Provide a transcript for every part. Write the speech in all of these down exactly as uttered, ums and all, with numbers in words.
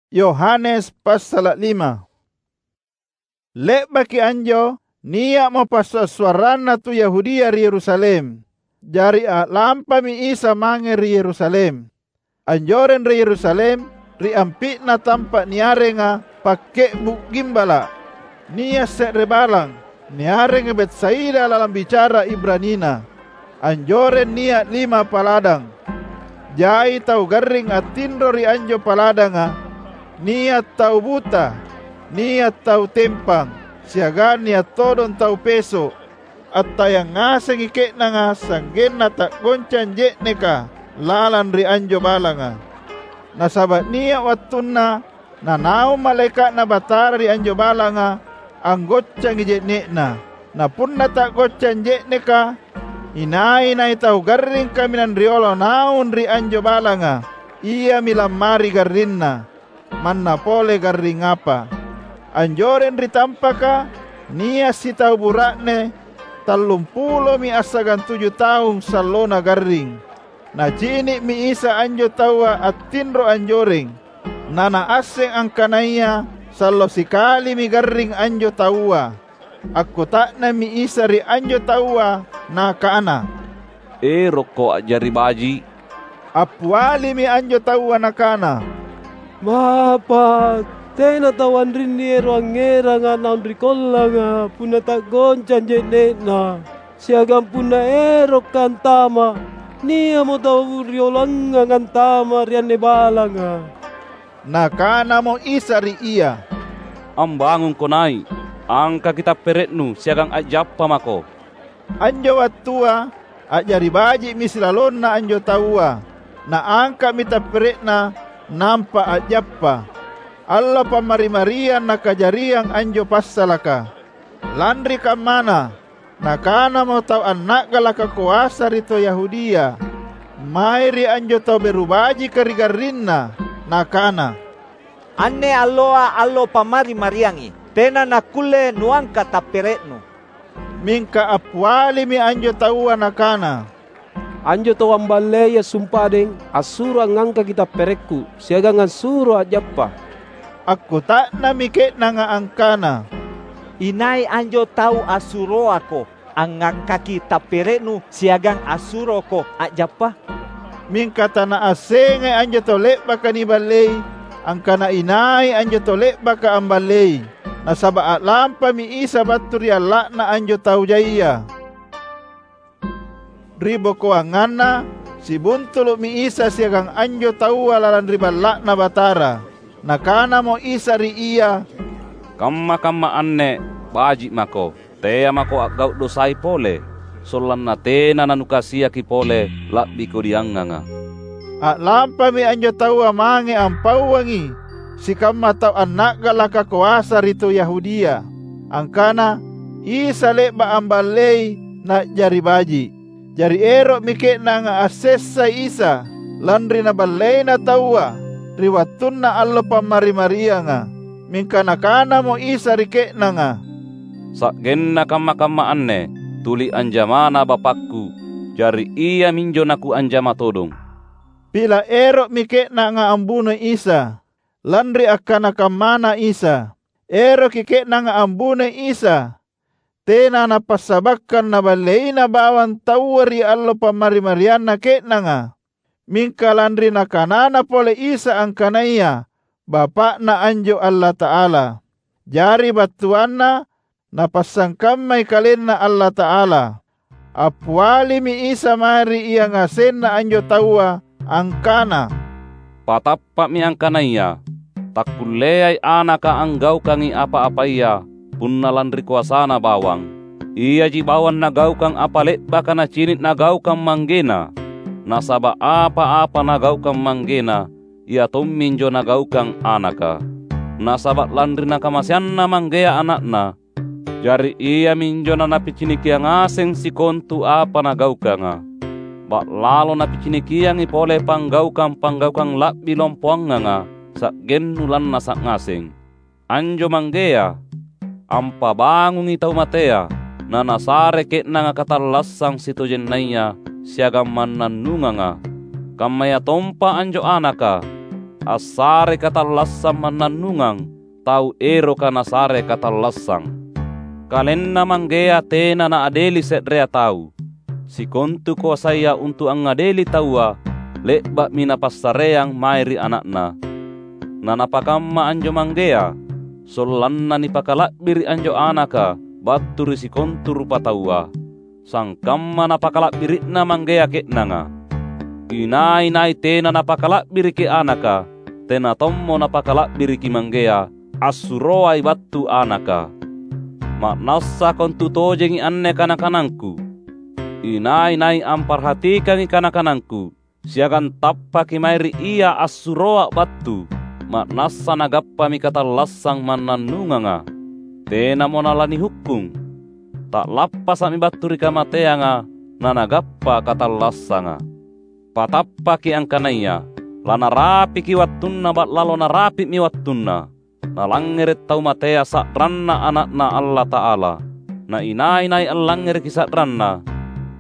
Yohanes passala’ lima. Le'baki anjo, nia'mo passua’-suarranna tu Yahudia ri Yerusalem. Jari a'lampami Isa mange ri Yerusalem. Anjoreng ri Yerusalem, ri ampi'na tampa’ niarenga Pakke'bu’ Gimbala’, nia’ se're balang, niarenga Betsaida lalang bicara Ibranina. Anjoreng nia’ lima paladang. Jai tau garring attinro ri anjo paladanga, nia’ tau buta, nia’ tau tempang, siagang nia’ todong tau peso’. Attayang ngasengi ke'nanga sa'genna ta'goncang je'neka lalang ri anjo balanga. Nasaba’ nia’ wattunna nanaung malaeka'Na Batara ri anjo balanga, anggoccangi je'ne'na. Na punna ta'goncang je'neka, inai-nai tau garring kaminang riolo naung ri anjo balanga, iami lammari garrinna, manna pole garring apa. Anjoreng ri tampaka, nia’ sitau bura'ne tallumpulomi assagang tuju taung sallona garring. Nacini'mi Isa anjo taua attinro anjoreng, na Naasseng angkanaya sallo sikalimi garring anjo taua. Akkuta'nammi Isa ri anjo taua, Nakana, "Erokko a'jari baji’?" Appialimi anjo taua nakana, "Bapa’, tena tau anrinni ero’ angngeranga naung ri kollanga punna ta'goncang je'ne'na. Siagang punna erokka’ antama’, nia'mo tau riolangngang antama’ ri anne balanga." Nakanamo Isa ri ia, "Ambangungko nai’, angkaki tappere'nu siagang a'jappa mako." Anjo wattua a'jari baji'mi silalonna anjo taua. Naangka'mi tappere'na nampa a'jappa. Allo Pammari-mariang nakajariang anjo passalaka. Lanri kammana, nakanamo tau anna'galaka koasa ri to Yahudia mae ri anjo tau beru bajika ri garrinna, nakana, "Anne alloa allo Pammari-mariangi. Tena nakkulle nuangka’ tappere'nu." Mingka appialimi anjo taua nakana, "Anjo tau amballeia sumpadeng assuro angngangkaki tapperekku siagang assuro a'jappa." Akkuta'nammi ke'nanga angkana, "Inai anjo tau assuroako angngangkaki tappere'nu siagang assuroko a'jappa?" Mingka tanaassengai anjo tau le'baka niballei angkana inai anjo tau le'baka amballei, nasaba’ a'lampami Isa battu ri alla'na anjo tau jaia. Ri bokoanganna, sibuntulu'mi Isa siagang anjo taua lalang ri Balla'Na Batara. Nakanamo Isa ri ia, "Kamma-kamma anne baji’ mako. Tea mako a'gau’ dosai pole, sollanna tena nanukasiaki pole la'bi kodiangnganga." A'lampami anjo taua mange ampauangi sikamma tau anna'galaka koasa ri tu Yahudia, angkana Isa le'ba’ amballei na'jari baji’. Jari ero'mi ke'nanga assessai Isa, lanri naballeina taua ri wattunna allo Pammari-marianga. Mingka Nakanamo Isa ri ke'nanga, "Sa'genna kamma-kamma anne tuli anjamana Bapakku, jari Iaminjo naKuanjama todong." Pila’ ero'mi ke'nanga ambunoi Isa, lanri akkana kammana Isa. Eroki ke'nanga ambunoi Isa, tena napassabakkang naballeina bawang taua ri allo Pammari-marianna ke'nanga, mingka lanri Nakanana pole Isa angkanaya Bapa'Na anjo Allata'ala. Jari battuanna Napassangkammai KalenNa Allata'ala. Appialimi Isa mae ri ia ngasenna anjo taua angkana, "Patappa'mi angkanaya takkulleai Anaka anggaukangi apa-apaya punna lanri koasaNa bawang. Iaji bawang Nagaukang apa le'baka Nacini’ Nagaukang ManggeNa, nasaba’ apa-apa Nagaukang ManggeNa, Ia tomminjo Nagaukang Anaka. Nasaba’ lanri nakamaseanNa Manggea Ana'Na, jari Iaminjo naNapicinikia ngaseng sikontu apa Nagaukanga. Ba'lalo Napicinikiangi pole panggaukang-panggaukang la'bi lompoanganga sa'gennu lannasa’ ngaseng. Anjo Manggea ampabangungi tau matea, naNasare ke'nanga katallassang sitojennaya siagang mannannunganga. Kammayatompa anjo Anaka, assare katallassang mannannungang tau eroka nasare katallassang. Kalenna Manggea tena naadeli se'rea tau. Sikontu koasaya untu’ angngadeli taua, le'ba'mi Napassareang mae ri Ana'Na. Nanapakamma anjo Manggea, sollanna nipakala'biri’ anjo Anaka battu ri sikontu rupataua, sangkamma Napakala'biri'na Manggea ke'nanga. Inai-nai tena Napakala'biriki Anaka, tena tommo Napakala'biriki Manggea, assuroai battu Anaka. Ma'nassa kontutojengi anne kana-kanangKu. Inai-nai amparhatikangi kana-kanangKu, siagang tappaki mae ri Ia assuroA’ battu, ma'nassa nagappami katallassang mannannunganga. Tenamo nalanihukkung. Ta'lappasa'mi battu ri kamateanga nanagappa katallassanga. Patappaki angkanaya lanarapiki wattunna ba'lalo narapi'mi wattunna. Nalangngere’ tau matea sa'ranna Ana'Na Allata'ala. Na inai-nai allangngereki sa'ranna,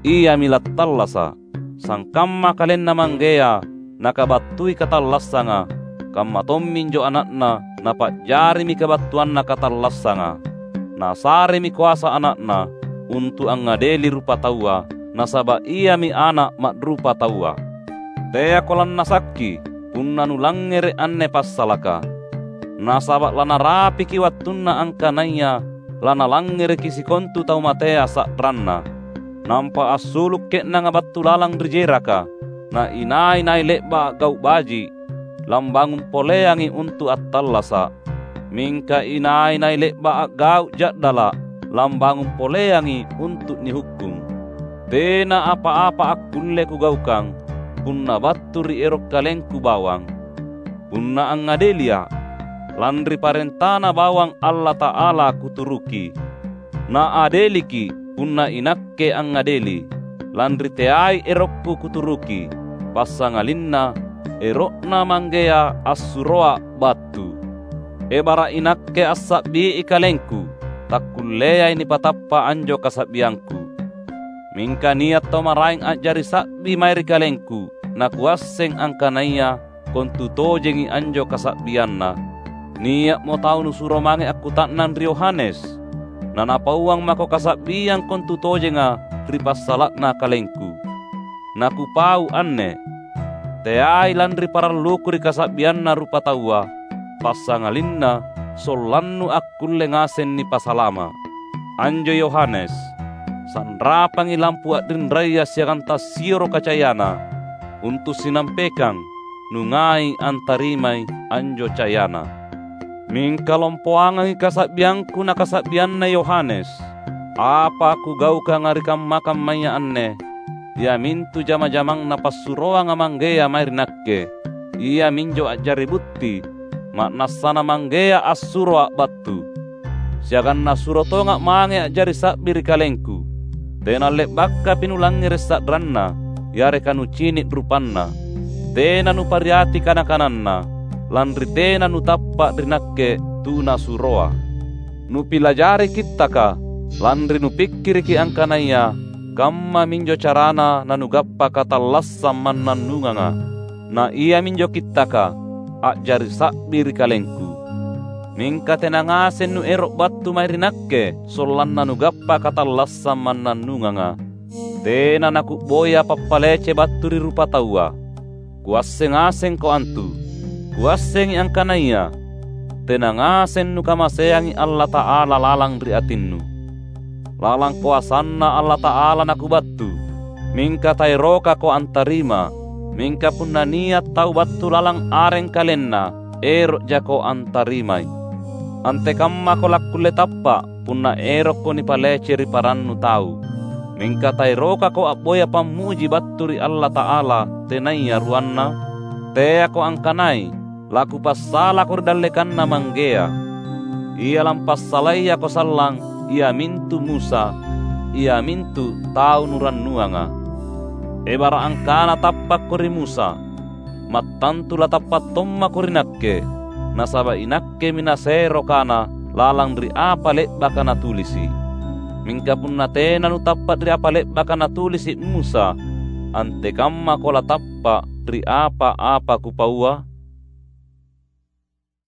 iami lattallasa’. Sangkamma KalenNa Manggea Nakabattui katallassanga, kamma tomminjo Ana'Na Napa'jarimi kabattuanna katallassanga. Nasaremi koasa Ana'Na untu’ angngadeli rupataua, nasaba’ Iami Ana’ ma'rupataua. Teako lannasakki punna nulangngere’ anne passalaka. Nasaba’ lanarapiki wattunna angkanaya lanalangngereki sikontu tau matea sa'ranna. Nampa assulu’ ke'nanga battu lalang ri jeraka, na inai-nai le'ba’ a'gau’ baji’, lambangung poleangi untu’ attallasa’. Mingka inai-nai le'ba’ a'gau’ ja'dala’, lambangung poleangi untu’ nihukkung. Tena apa-apa akkulle Kugaukang punna battu ri ero’ KalengKu bawang. Punna angngadelia’, lanri parentaNa bawang Allata'ala Kuturuki. Naadeliki’ punna iNakke angngadeli, lanri teai erokKu Kuturuki, passangalinna ero'Na Manggea assuroA’ battu. Ebara’ iNakke assa'bii KalengKu, takkulleai nipatappa’ anjo kasa'biangKu. Mingka nia’ tau maraeng a'jari sa'bi mae ri KalengKu, naKuasseng angkanaya kontutojengi anjo kasa'bianna. Nia'mo tau nusuro mange akkuta'nang ri Yohanes, nanapauang mako kasa'biang kontutojenga ri passala'na KalengKu. NaKupau anne, teai lanri paralluKu ri kasa'bianna rupataua, passangalinna sollannu akkulle ngaseng nipasalama’. Anjo Yohanes, sanrapangi lampu a'rinraya siagang tassioroka cayana, untu’ sinampekang nungai antarimai anjo cayana. Mingka lompoangangi kasa'biangKu nakasa'bianna Yohanes. Apa Kugaukanga ri kamma-kammaya anne, iamintu jama-jamang Napassuroanga Manggea mae ri Nakke, iaminjo a'jari butti, ma'nassaNa Manggea assuroA’ battu. Siagang Nasuro tonga’ mange a'jari sa'bi ri KalengKu. Tena le'bakapi nulangngere’ sa'ranNa, yareka nucini’ rupanNa. Tena nupariati kana-kananNa, lanri tena nutappa’ ri Nakke tu Nasuroa. Nupilajari Kittaka, lanri nupikkiriki angkanaya kammaminjo carana nanugappa katallassang mannannunganga. Na iaminjo Kittaka a'jari sa'bi ri kalengku. Mingka tena ngaseng nuero’ battu mae ri Nakke sollanna nugappa katallassang mannannunganga. Tena naKuboya pappalece battu ri rupataua. Kuasseng ngasengko antu. Kuassengi angkanaya tena ngaseng nukamaseangi Allata'ala lalang ri atinnu. Lalang koasanNa Allata'ala naKubattu, mingka taerokako antarima. Mingka punna nia’ tau battu lalang areng kalenna, ero'jako antarimai. Antekammako lakkulle tappa’ punna erokko nipalece ri parannu tau. Mingka taerokako a'boya pammuji battu ri Allata'ala tenaya ruanna? Teako angkanai laKupassalako ri dallekanNa Manggea. Ia lampassalayako sallang, iamintu Musa, iamintu tau nurannuanga. Ebara’ angkana tappakko ri Musa, mattantu latappa’ tommako ri Nakke, nasaba’ iNakkemi nasero kana lalang ri apa le'baka natulisi’. Mingka punna tena nutappa’ ri apa le'baka natulisi’ Musa, antekammako latappa’ ri apa-apa Kupaua?